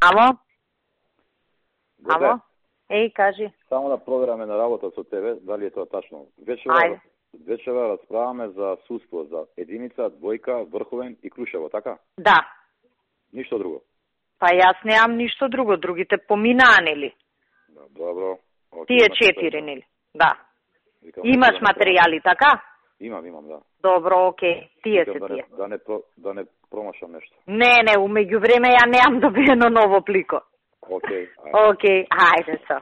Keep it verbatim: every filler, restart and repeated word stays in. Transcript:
Ало? Добре. Ало? Еј, кажи. Само да провераме на работа со тебе, дали е тоа тачно. Вечера, вечера расправаме за судство, за единица, двојка, врховен и Крушево, така? Да. Ништо друго. Па јас неам ништо друго, другите поминаа, нели? Да, добро. Окей, Тие четири, нели? Да. Викам, Имаш да материјали, така? Имам, имам, да. Добро, окей. Тие Викам, се да тие. не, да не, про- да не промашам нешто. Не, не, умеѓу време ја неам добиено ново плико. Окей. Ајде. Окей, ајде са.